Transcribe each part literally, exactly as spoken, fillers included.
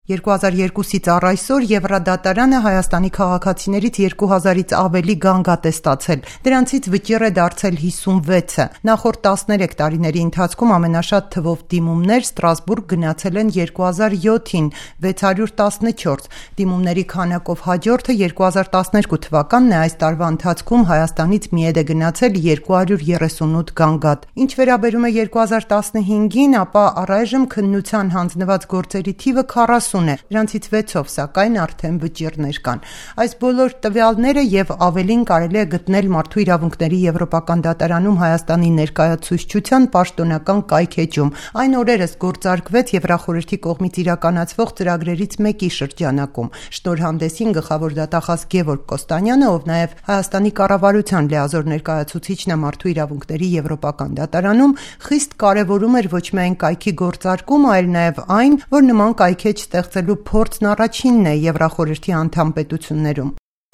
երկու հազար երկուսից առ այսօր Եվրադատարանը Հայաստանի քաղաքացիներից երկու հազարից ավելի գանգատ է ստացել, դրանցից վճիռ է դարձել հիսունվեցը։ Նախորդ տասներեք տարիների ընթացքում ամենաշատ թվով դիմումներ Ստրասբուրգ գնացել են երկու հազար յոթին վեց հարյուր տասնչորս, դիմումների քանակով հաջորդը երկու հազար տասներկու թվականն է, այս տարվա ընթացքում Հայաստանից միեդ է գնացել երկու հարյուր երեսունութ գանգատ։ Ինչ վերաբերում է երկու հազար տասնհինգին, ապա առայժմ քննության հանձնված գործերի թիվը քառասուն է, դրանցից վեցով սակայն արդեն վճիռներ կան։ Այս բոլոր տվյալները եւ ավելին կարելի է գտնել Մարդու իրավունքների Եվրոպական դատարանում Հայաստանի ներկայացուցչության պաշտոնական կայքէջում։ Այն օրերս գործարկվեց Եվրախորհրդի կողմից իրականացվող ծրագրերից մեկի շրջանակում։ Շնորհանդեսին գլխավոր դատախազ Գևորգ Կոստանյանը, ով նաեւ Հայաստանի կառավարության լիազոր ներկայացուցիչն է Մարդու իրավունքների Եվրոպական դատարանում, խիստ կարևորում էր ոչ միայն կայքի գործարկումը, այլ նաեւ այն, որ նման կայքեջ ստեղծելու փորձն առաջինն է Եվրախորհրդի անդամ պետություններում։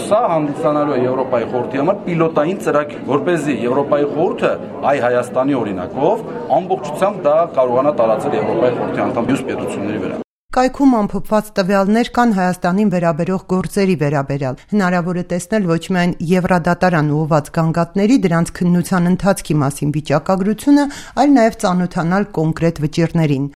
Սա հանդիսանալու է Եվրոպայի խորհրդի համար պիլոտային ծրագիր, որպեսզի Եվրոպայի խորհուրդը այ Հայաստանի օրինակով ամբողջությամբ դա կարողանա տարածել Եվրոպայի խորհրդի անդամ մյուս պետությունների վրա։ Կայքում ամփոփված տվյալներ կան Հայաստանին վերաբերող գործերի վերաբերյալ։ Հնարավոր է տեսնել ոչ միայն Եվրադատարան ուղղված գանգատների, դրանց քննության ընթացքի մասին վիճակագրությունը, այլ նաև ծանոթանալ կոնկրետ վճիռներին։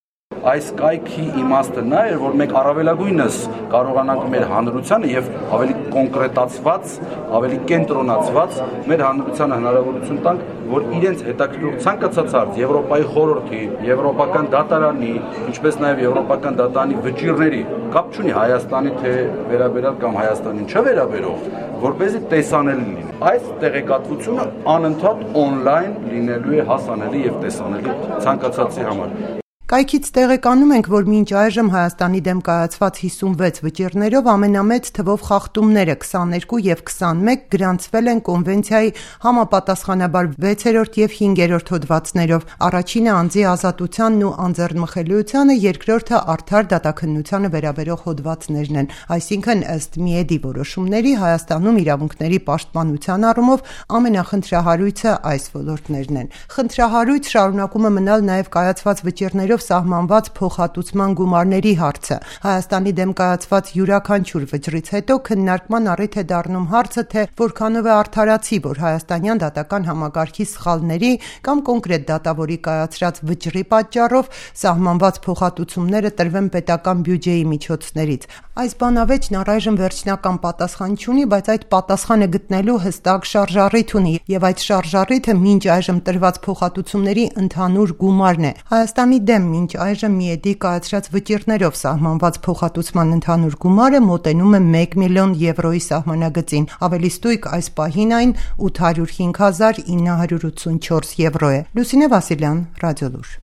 Այս կայքի իմաստը նա էր, որ մենք առավելագույնս կարողանանք մեր հանրությանը եւ ավելի կոնկրետացված, ավելի կենտրոնացված մեր հանրությանը հնարավորություն տանք, որ իրենց հետաքրքրող ցանկացած հարց Եվրոպայի խորհրդի, Եվրոպական դատարանի, ինչպես նաեւ Եվրոպական դատարանի վճիռների կապ չունի Հայաստանի թե վերաբերյալ կամ Հայաստանին չվերաբերող, որպեսզի տեսանելի լինի։ Այս տեղեկատվությունը անընդհատ on-line լինելու է հասանելի եւ տեսանելի ցանկացածի համար։ Կայքից տեղեկանում ենք, որ մինչ այժմ Հայաստանի դեմ կայացված հիսունվեց վճիռներով ամենամեծ թվով խախտումները քսաներկու եւ քսանմեկ գրանցվել են կոնվենցիայի համապատասխանաբար վեցերորդ եւ հինգերորդ հոդվածներով, առաջինը անձի ազատությանն ու անձեռնմխելիությանը, երկրորդը արդար դատաքննությանը վերաբերող հոդվածներն են, այսինքն ըստ միեդի որոշումների Հայաստանում իրավունքների պաշտպանության առումով ամենախնդրահարույցը այս ոլորտներն են։ Խնդրահարույց շարունակում է մնալ նաեւ կայացված վճիռներով սահմանված փոխհատուցման գումարների հարցը։ Հայաստանի դեմ կայացված յուրաքանչյուր վճռից հետո քննարկման առիթ է դառնում հարցը, թե որքանով է արդարացի, որ հայաստանյան դատական համակարգի սխալների կամ կոնկրետ դատավորի կայացրած վճռի պատճառով սահմանված փոխհատուցումները տրվեն պետական բյուջեի միջոցներից։ Այս բանավեճն առայժմ վերջնական պատասխան չունի, բայց այդ պատասխանը գտնելու հստակ շարժառիթ ունի, եւ այդ շարժառիթը մինչ այժմ տրված փոխհատուցումների ընդհանուր գումարն է։ Հայաստանի դեմ մինչ այժմ միեդի կայացրած վճիռներով սահմանված փոխհատուցման ընդհանուր գումարը մոտենում է մեկ միլիոն եվրոյի սահմանագծին։ Ավելի ստույգ այս պահին այն ութ հարյուր հինգ հազար ինը հարյուր ութսունչորս եվրո է։ Լուսինե Վասիլյան, Ռադիոլուր։